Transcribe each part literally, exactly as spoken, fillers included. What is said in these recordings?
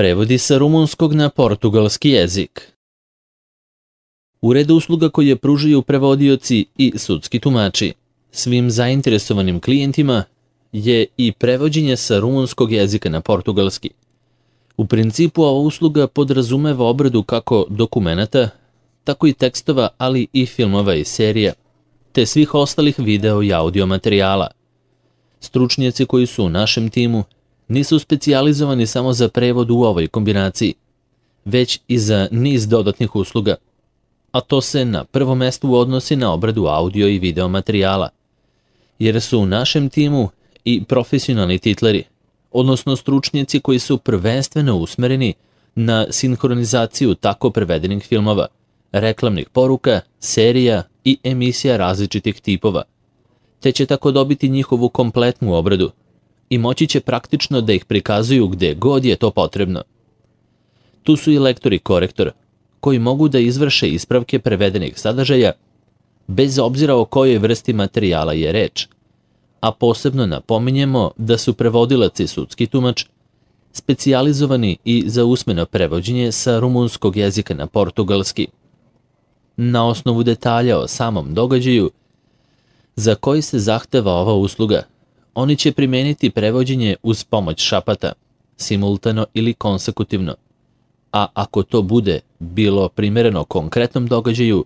Prevodi sa rumunskog na portugalski jezik. Ured usluga koje pružaju prevodioci i sudski tumači svim zainteresovanim klijentima je i prevođenje sa rumunskog jezika na portugalski. U principu ova usluga podrazumeva obradu kako dokumenata, tako i tekstova, ali i filmova i serija, te svih ostalih video i audio materijala. Stručnjaci koji su u našem timu nisu specijalizovani samo za prevod u ovoj kombinaciji, već i za niz dodatnih usluga, a to se na prvom mestu odnosi na obradu audio i video materijala, jer su u našem timu i profesionalni titleri, odnosno stručnjaci koji su prvenstveno usmereni na sinhronizaciju tako prevedenih filmova, reklamnih poruka, serija i emisija različitih tipova, te će tako dobiti njihovu kompletnu obradu i moći će praktično da ih prikazuju gde god je to potrebno. Tu su i lektor i korektor, koji mogu da izvrše ispravke prevedenih sadržaja, bez obzira o kojoj vrsti materijala je reč, a posebno napominjemo da su prevodilac i sudski tumač specijalizovani i za usmeno prevođenje sa rumunskog jezika na portugalski. Na osnovu detalja o samom događaju za koji se zahteva ova usluga, oni će primeniti prevođenje uz pomoć šapata, simultano ili konsekutivno, a ako to bude bilo primereno konkretnom događaju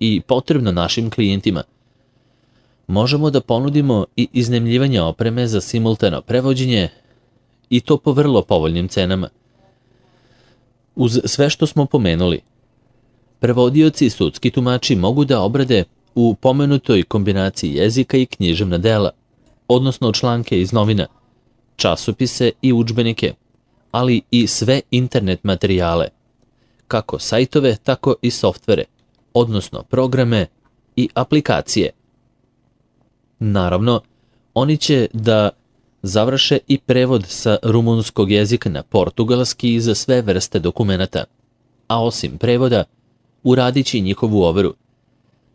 i potrebno našim klijentima, možemo da ponudimo i iznajmljivanje opreme za simultano prevođenje i to po vrlo povoljnim cenama. Uz sve što smo pomenuli, prevodioci i sudski tumači mogu da obrade u pomenutoj kombinaciji jezika i književna dela, odnosno članke iz novina, časopise i udžbenike, ali i sve internet materijale, kako sajtove, tako i softvere, odnosno programe i aplikacije. Naravno, oni će da završe i prevod sa rumunskog jezika na portugalski za sve vrste dokumenata, a osim prevoda, uradit će i njihovu overu,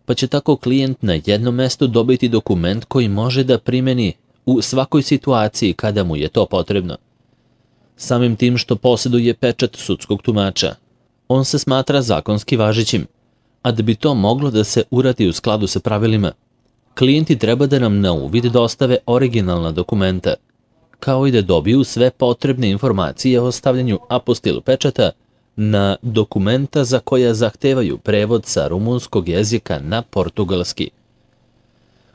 pa će tako klijent na jednom mestu dobiti dokument koji može da primeni u svakoj situaciji kada mu je to potrebno. Samim tim što posjeduje pečat sudskog tumača, on se smatra zakonski važećim, a da bi to moglo da se uradi u skladu sa pravilima, klijenti treba da nam na uvid dostave originalna dokumenta, kao i da dobiju sve potrebne informacije o stavljanju apostilu pečata na dokumenta za koja zahtevaju prevod sa rumunskog jezika na portugalski.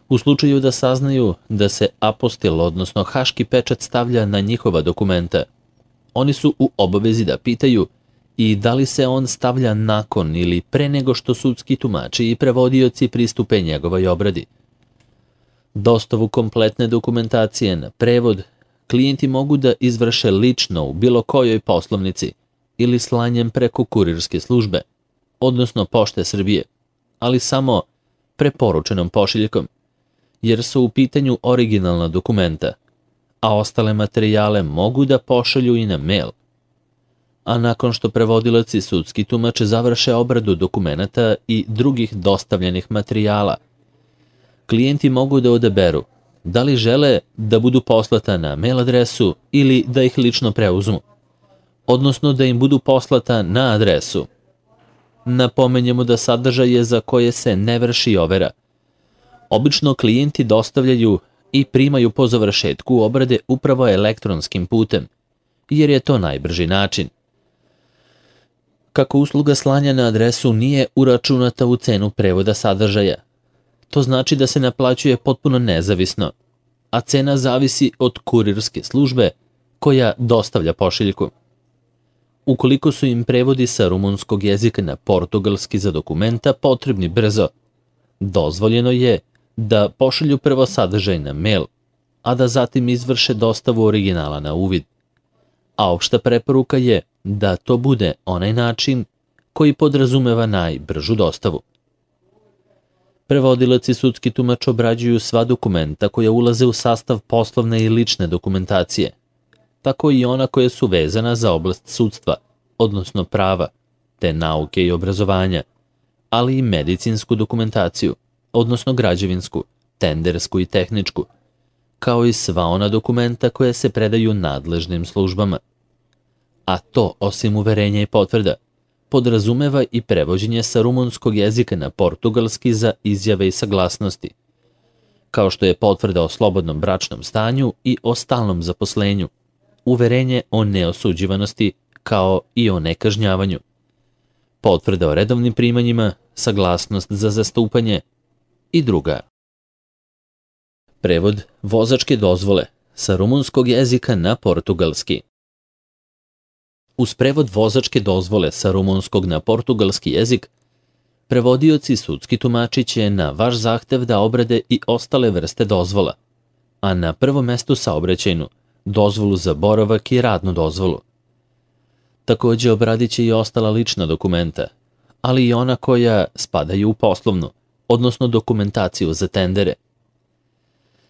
U slučaju da saznaju da se apostil, odnosno haški pečat stavlja na njihova dokumenta, oni su u obavezi da pitaju i da li se on stavlja nakon ili pre nego što sudski tumači i prevodioci pristupe njegovoj obradi. Dostavu kompletne dokumentacije na prevod klijenti mogu da izvrše lično u bilo kojoj poslovnici ili slanjem preko kurirske službe, odnosno Pošte Srbije, ali samo preporučenom pošiljkom, jer su u pitanju originalna dokumenta, a ostale materijale mogu da pošalju i na mail. A nakon što prevodilac i sudski tumač završe obradu dokumenata i drugih dostavljenih materijala, klijenti mogu da odaberu da li žele da budu poslata na mail adresu ili da ih lično preuzmu, odnosno da im budu poslata na adresu. Napomenjemo da sadržaje za koje se ne vrši overa obično klijenti dostavljaju i primaju po završetku obrade upravo elektronskim putem, jer je to najbrži način. Kako usluga slanja na adresu nije uračunata u cenu prevoda sadržaja, to znači da se naplaćuje potpuno nezavisno, a cena zavisi od kurirske službe koja dostavlja pošiljku. Ukoliko su im prevodi sa rumunskog jezika na portugalski za dokumenta potrebni brzo, dozvoljeno je da pošalju prvo sadržaj na mail, a da zatim izvrše dostavu originala na uvid. A opšta preporuka je da to bude onaj način koji podrazumeva najbržu dostavu. Prevodilac i sudski tumač obrađuju sva dokumenta koja ulaze u sastav poslovne i lične dokumentacije, tako i ona koja su vezana za oblast sudstva, odnosno prava, te nauke i obrazovanja, ali i medicinsku dokumentaciju, odnosno građevinsku, tendersku i tehničku, kao i sva ona dokumenta koja se predaju nadležnim službama. a to, osim uverenja i potvrda, podrazumeva i prevođenje sa rumunskog jezika na portugalski za izjave i saglasnosti, kao što je potvrda o slobodnom bračnom stanju i o stalnom zaposlenju, uverenje o neosuđivanosti kao i o nekažnjavanju, potvrda o redovnim primanjima, saglasnost za zastupanje i druga. Prevod vozačke dozvole sa rumunskog jezika na portugalski. Uz prevod vozačke dozvole sa rumunskog na portugalski jezik, prevodioci i sudski tumači će na vaš zahtev da obrade i ostale vrste dozvola, a na prvom mestu saobraćajnu, dozvolu za boravak i radnu dozvolu. Takođe obradit će i ostala lična dokumenta, ali i ona koja spadaju u poslovnu, odnosno dokumentaciju za tendere.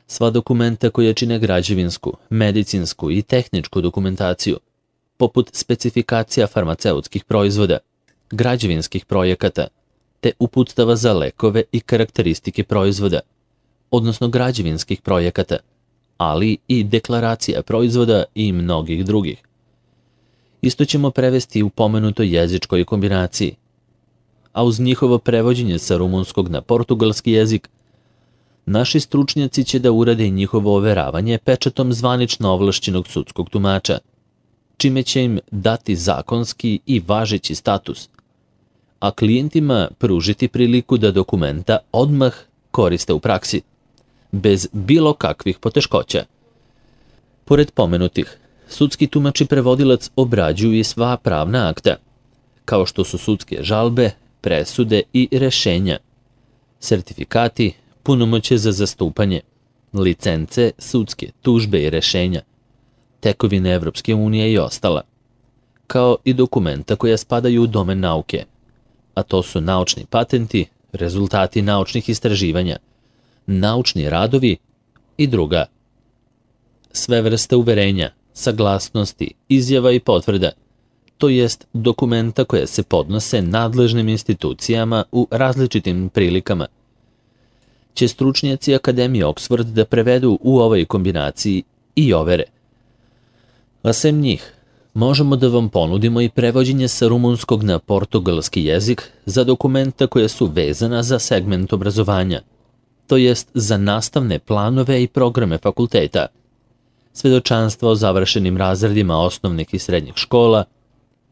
Sva dokumenta koja čine građevinsku, medicinsku i tehničku dokumentaciju, poput specifikacija farmaceutskih proizvoda, građevinskih projekata, te uputstava za lekove i karakteristike proizvoda, odnosno građevinskih projekata, ali i deklaracija proizvoda i mnogih drugih. Isto ćemo prevesti u pomenutoj jezičkoj kombinaciji, a uz njihovo prevođenje sa rumunskog na portugalski jezik, naši stručnjaci će da urade njihovo overavanje pečatom zvanično ovlašćenog sudskog tumača, čime će im dati zakonski i važeći status, a klijentima pružiti priliku da dokumenta odmah koriste u praksi, bez bilo kakvih poteškoća. Pored pomenutih, sudski tumač i prevodilac obrađuju i sva pravna akta, kao što su sudske žalbe, presude i rešenja, sertifikati, punomoćje za zastupanje, licence, sudske tužbe i rešenja, tekovine Evropske unije i ostala, kao i dokumenta koja spadaju u domen nauke, a to su naučni patenti, rezultati naučnih istraživanja, naučni radovi i druga. Sve vrste uverenja, saglasnosti, izjava i potvrda, to jest dokumenta koja se podnose nadležnim institucijama u različitim prilikama, će stručnjaci Akademije Oxford da prevedu u ovoj kombinaciji i overe. A sem njih, možemo da vam ponudimo i prevođenje sa rumunskog na portugalski jezik za dokumenta koja su vezana za segment obrazovanja, to jest za nastavne planove i programe fakulteta, svedočanstva o završenim razredima osnovnih i srednjih škola,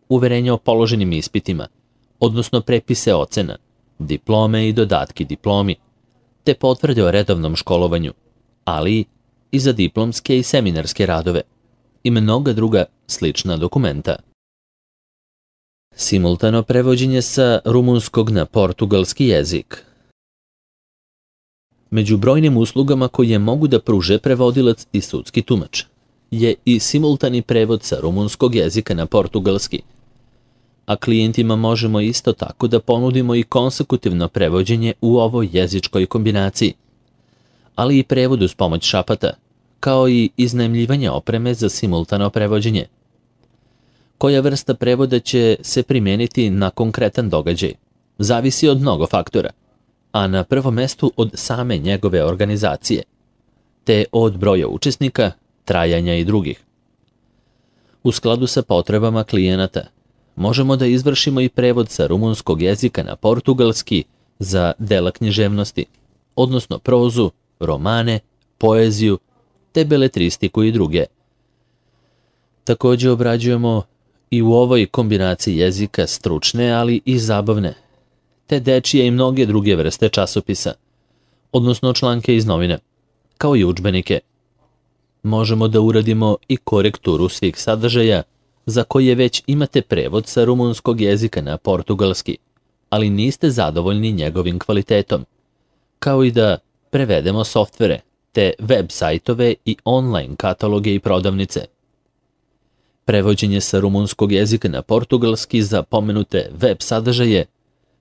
uverenja o položenim ispitima, odnosno prepise ocena, diplome i dodatki diplomi, te potvrde o redovnom školovanju, ali i za diplomske i seminarske radove i mnoga druga slična dokumenta. Simultano prevođenje sa rumunskog na portugalski jezik. Među brojnim uslugama koje mogu da pruže prevodilac i sudski tumač je i simultani prevod sa rumunskog jezika na portugalski, a klijentima možemo isto tako da ponudimo i konsekutivno prevođenje u ovoj jezičkoj kombinaciji, ali i prevod uz pomoć šapata, kao i iznajmljivanje opreme za simultano prevođenje. Koja vrsta prevoda će se primijeniti na konkretan događaj, zavisi od mnogo faktora, a na prvom mestu od same njegove organizacije, te od broja učesnika, trajanja i drugih. U skladu sa potrebama klijenata, možemo da izvršimo i prevod sa rumunskog jezika na portugalski za dela književnosti, odnosno prozu, romane, poeziju, te beletristiku i druge. Takođe obrađujemo i u ovoj kombinaciji jezika stručne, ali i zabavne, te dečije i mnoge druge vrste časopisa, odnosno članke iz novine, kao i udžbenike. Možemo da uradimo i korekturu svih sadržaja za koje već imate prevod sa rumunskog jezika na portugalski, ali niste zadovoljni njegovim kvalitetom, kao i da prevedemo softvere, te web sajtove i online kataloge i prodavnice. Prevođenje sa rumunskog jezika na portugalski za pomenute web sadržaje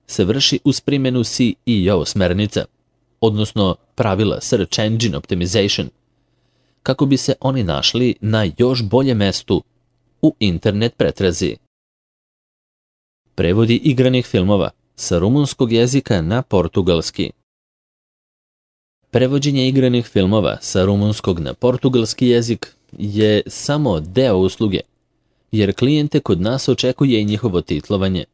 se vrši uz primjenu S E O smernica, odnosno pravila Search Engine Optimization, kako bi se oni našli na još boljem mestu u internet pretrazi. Prevodi igranih filmova sa rumunskog jezika na portugalski. Prevođenje igranih filmova sa rumunskog na portugalski jezik je samo deo usluge, jer klijente kod nas očekuje i njihovo titlovanje.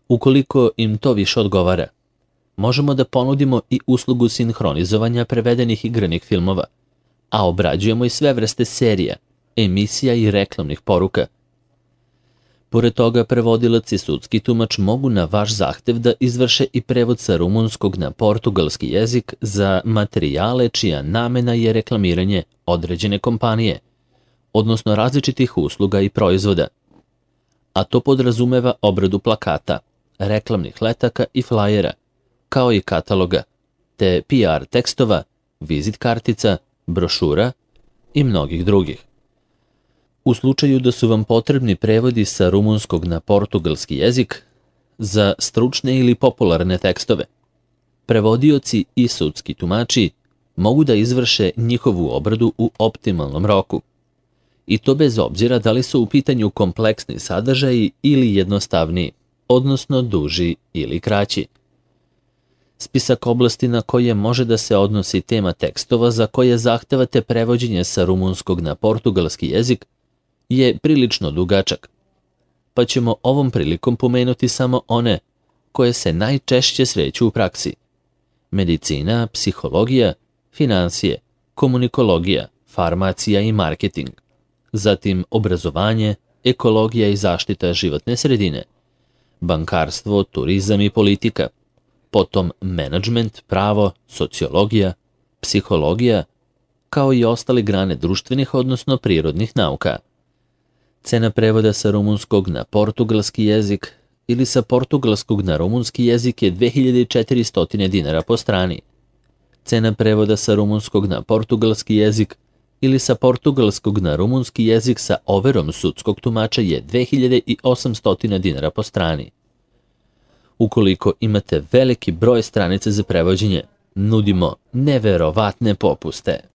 Ukoliko im to više odgovara, možemo da ponudimo i uslugu sinhronizovanja prevedenih igranih filmova, a obrađujemo i sve vrste serija, emisija i reklamnih poruka. Pored toga, prevodilac i sudski tumač mogu na vaš zahtev da izvrše i prevod sa rumunskog na portugalski jezik za materijale čija namena je reklamiranje određene kompanije, odnosno različitih usluga i proizvoda. A to podrazumeva obradu plakata, reklamnih letaka i flajera, kao i kataloga, te P R tekstova, vizit kartica, brošura i mnogih drugih. U slučaju da su vam potrebni prevodi sa rumunskog na portugalski jezik za stručne ili popularne tekstove, prevodioci i sudski tumači mogu da izvrše njihovu obradu u optimalnom roku. I to bez obzira da li su u pitanju kompleksni sadržaji ili jednostavniji, odnosno duži ili kraći. Spisak oblasti na koje može da se odnosi tema tekstova za koje zahtevate prevođenje sa rumunskog na portugalski jezik je prilično dugačak, pa ćemo ovom prilikom pomenuti samo one koje se najčešće sreću u praksi: medicina, psihologija, finansije, komunikologija, farmacija i marketing, zatim obrazovanje, ekologija i zaštita životne sredine, bankarstvo, turizam i politika, potom menadžment, pravo, sociologija, psihologija, kao i ostale grane društvenih, odnosno prirodnih nauka. Cena prevoda sa rumunskog na portugalski jezik ili sa portugalskog na rumunski jezik je dve hiljade četiristo dinara po strani. Cena prevoda sa rumunskog na portugalski jezik ili sa portugalskog na rumunski jezik sa overom sudskog tumača je dve hiljade osamsto dinara po strani. Ukoliko imate veliki broj stranica za prevođenje, nudimo neverovatne popuste.